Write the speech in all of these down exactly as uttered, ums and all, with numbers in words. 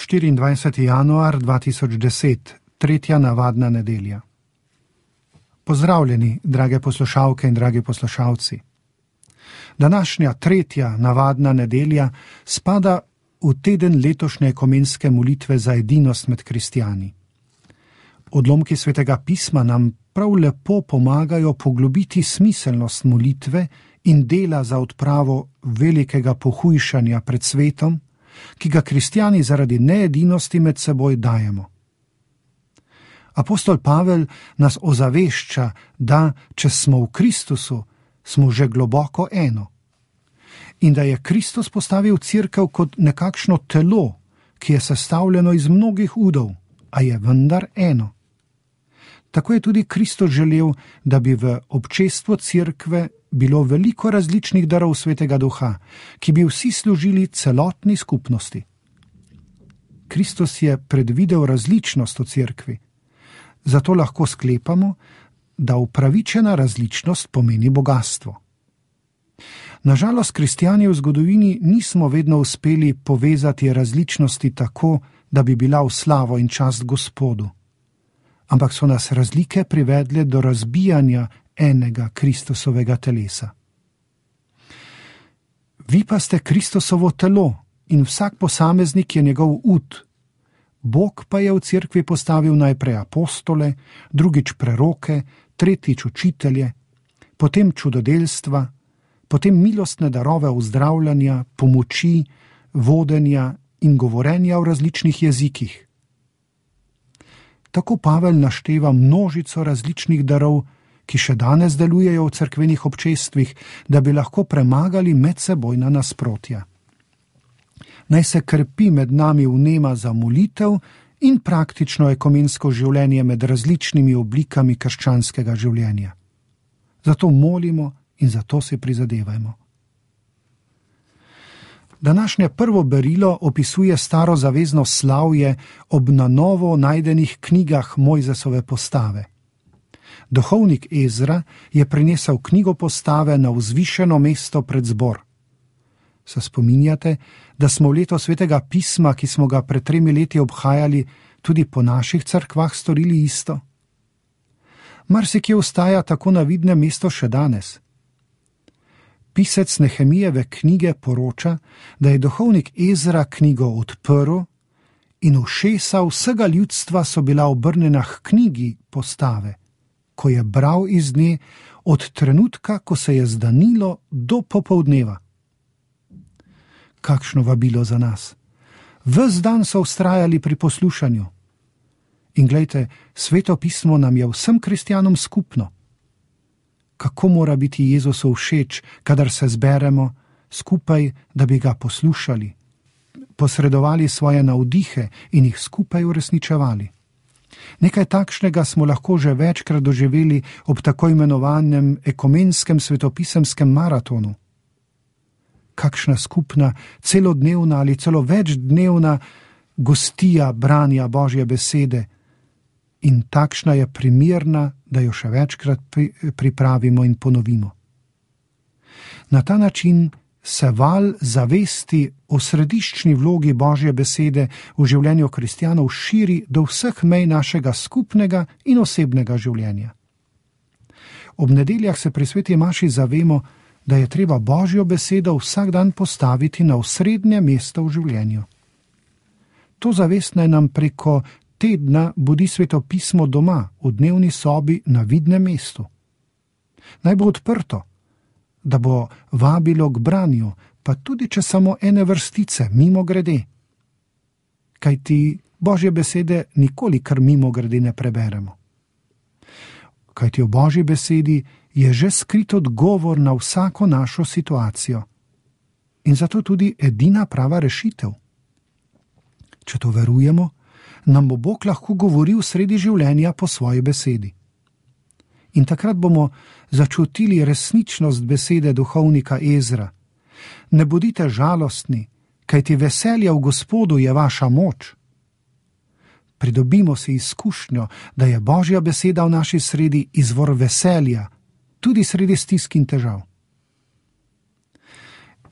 štiriindvajseti januar dva tisoč deset, tretja navadna nedelja. Pozdravljeni, drage poslušalke in dragi poslušalci. Današnja tretja navadna nedelja spada v teden letošnje ekumenske molitve za edinost med kristjani. Odlomki Svetega pisma nam prav lepo pomagajo poglobiti smiselnost molitve in dela za odpravo velikega pohujšanja pred svetom, ki ga kristjani zaradi needinosti med seboj dajemo. Apostol Pavel nas ozavešča, da, če smo v Kristusu, smo že globoko eno. In da je Kristus postavil cerkev kot nekakšno telo, ki je sestavljeno iz mnogih udov, a je vendar eno. Tako je tudi Kristus želel, da bi v občestvu cerkve bilo veliko različnih darov Svetega Duha, ki bi vsi služili celotni skupnosti. Kristus je predvidel različnost v cerkvi, zato lahko sklepamo, da upravičena različnost pomeni bogastvo. Nažalost, kristjani v zgodovini nismo vedno uspeli povezati različnosti tako, da bi bila v slavo in čast Gospodu, ampak so nas razlike privedle do razbijanja enega Kristusovega telesa. Vi pa ste Kristusovo telo in vsak posameznik je njegov ud. Bog pa je v cerkvi postavil najprej apostole, drugič preroke, tretjič učitelje, potem čudodelstva, potem milostne darove ozdravljanja, pomoči, vodenja in govorenja v različnih jezikih. Tako Pavel našteva množico različnih darov, ki še danes delujejo v cerkvenih občestvih, da bi lahko premagali medsebojna nasprotja. Naj se krepi med nami vnema za molitev in praktično ekumensko življenje med različnimi oblikami krščanskega življenja. Zato molimo in zato se prizadevajmo. Današnje prvo berilo opisuje starozavezno slavje ob na novo najdenih knjigah Mojzesove postave. Duhovnik Ezra je prinesel knjigo postave na vzvišeno mesto pred zbor. Se spominjate, da smo v leto Svetega pisma, ki smo ga pred tremi leti obhajali, tudi po naših cerkvah storili isto? Marsikje ostaja tako na vidnem mesto še danes. Pisec Nehemijeve knjige poroča, da je duhovnik Ezra knjigo odprl in ušesa vsega ljudstva so bila obrnjena k knjigi postave, ko je bral iz nje od trenutka, ko se je zdanilo, do popoldneva. Kakšno vabilo za nas. Ves dan so vztrajali pri poslušanju. In glejte, Sveto pismo nam je vsem kristjanom skupno. Kako mora biti Jezusu všeč, kadar se zberemo skupaj, da bi ga poslušali, posredovali svoje navdihe in jih skupaj uresničevali. Nekaj takšnega smo lahko že večkrat doživeli ob tako imenovanem ekumenskem svetopisemskem maratonu. Kakšna skupna, celodnevna ali celo večdnevna gostija branja Božje besede in takšna je primerna, da jo še večkrat pripravimo in ponovimo. Na ta način se val zavesti o središčni vlogi Božje besede v življenju kristjanov širi do vseh mej našega skupnega in osebnega življenja. Ob nedeljah se pri sveti maši zavemo, da je treba Božjo besedo vsak dan postaviti na osrednje mesto v življenju. To zavest naj nam preko tedna budi Sveto pismo doma, v dnevni sobi na vidnem mestu. Naj bo odprto, da bo vabilo k branju, pa tudi če samo ene vrstice, mimo grede. Kajti Božje besede nikoli kar mimo grede ne preberemo. Kajti v Božji besedi je že skrit odgovor na vsako našo situacijo. In zato tudi edina prava rešitev. Če to verujemo, nam bo Bog lahko govoril sredi življenja po svoji besedi. In takrat bomo začutili resničnost besede duhovnika Ezra. Ne bodite žalostni, kajti veselje v Gospodu je vaša moč. Pridobimo si izkušnjo, da je Božja beseda v naši sredi izvor veselja, tudi sredi stisk in težav.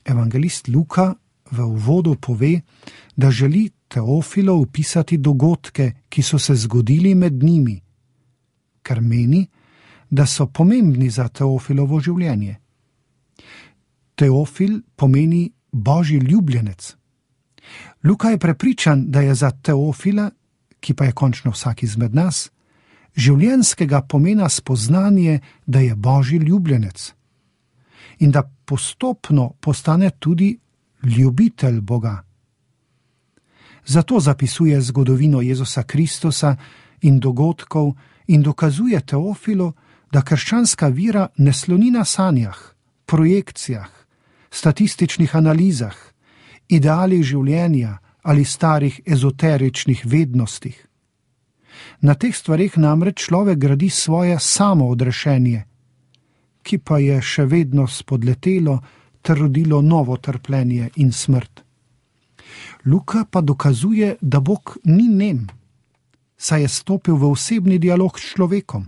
Evangelist Luka v uvodu pove, da želi Teofilo opisati dogodke, ki so se zgodili med njimi, ker meni, da so pomembni za Teofilovo življenje. Teofil pomeni Božji ljubljenec. Luka je prepričan, da je za Teofila, ki pa je končno vsak izmed nas, življenjskega pomena spoznanje, da je Božji ljubljenec in da postopno postane tudi ljubitelj Boga. Zato zapisuje zgodovino Jezusa Kristusa in dogodkov in dokazuje Teofilu, da krščanska vera ne sloni na sanjah, projekcijah, statističnih analizah, idealih življenja ali starih ezoteričnih vednostih. Na teh stvareh namreč človek gradi svoje samoodrešenje, ki pa je še vedno spodletelo ter rodilo novo trpljenje in smrt. Luka pa dokazuje, da Bog ni nem, saj je stopil v osebni dialog s človekom.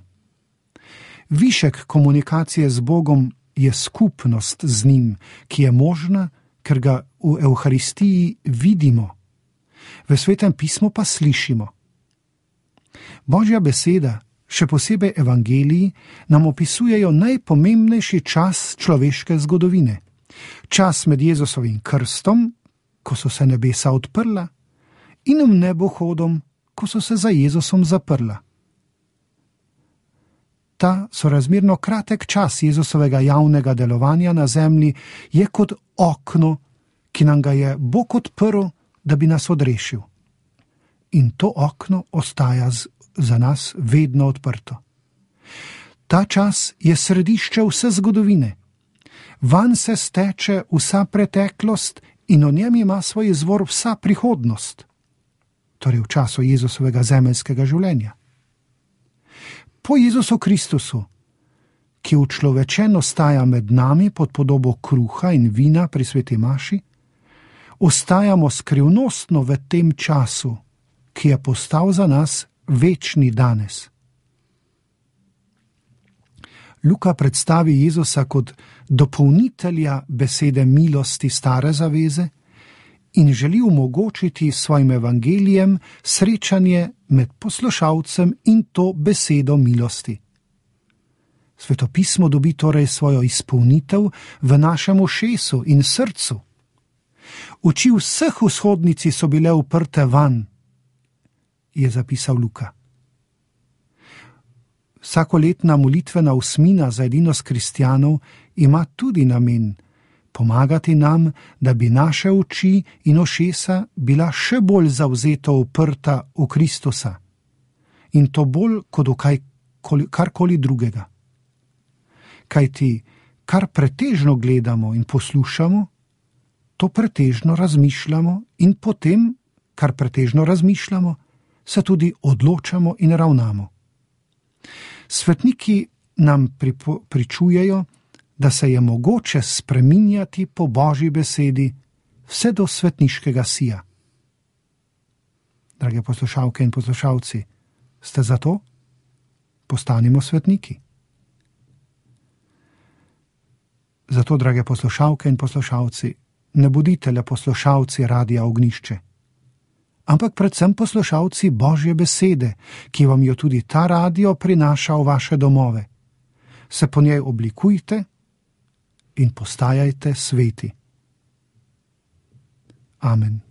Višek komunikacije z Bogom je skupnost z njim, ki je možna, ker ga v Evharistiji vidimo, v Svetem pismu pa slišimo. Božja beseda, še posebej evangeliji, nam opisujejo najpomembnejši čas človeške zgodovine. Čas med Jezusovim krstom, ko so se nebesa odprla, in v nebohodom, ko so se za Jezusom zaprla. Ta sorazmerno kratek čas Jezusovega javnega delovanja na zemlji je kot okno, ki nam ga je Bog odprl, da bi nas odrešil. In to okno ostaja z, za nas vedno odprto. Ta čas je središče vse zgodovine. Vanj se steče vsa preteklost in v njem ima svoj izvor vsa prihodnost, torej v času Jezusovega zemeljskega življenja. Po Jezusu Kristusu, ki učlovečen ostaja med nami pod podobo kruha in vina pri sveti maši, ostajamo skrivnostno v tem času, ki je postal za nas večni danes. Luka predstavi Jezusa kot dopolnitelja besede milosti stare zaveze in želi omogočiti svojim evangelijem srečanje med poslušalcem in to besedo milosti. Svetopismo dobi torej svojo izpolnitev v našem ušesu in srcu. Oči vseh vzhodnici so bile uprte van, je zapisal Luka. Vsakoletna molitvena osmina za edinost kristjanov ima tudi namen pomagati nam, da bi naše oči in ušesa bila še bolj zavzeto uprta v Kristusa in to bolj kot v kaj, karkoli drugega. Kajti, kar pretežno gledamo in poslušamo, to pretežno razmišljamo in potem, kar pretežno razmišljamo, se tudi odločamo in ravnamo. Svetniki nam pripo, pričujejo, da se je mogoče spreminjati po Božji besedi vse do svetniškega sija. Drage poslušalke in poslušalci, ste za to? Postanimo svetniki. Zato, drage poslušalke in poslušalci, ne bodite le poslušalci Radia Ognjišče, ampak predvsem poslušalci Božje besede, ki vam jo tudi ta radio prinaša v vaše domove. Se po njej oblikujte in postajajte sveti. Amen.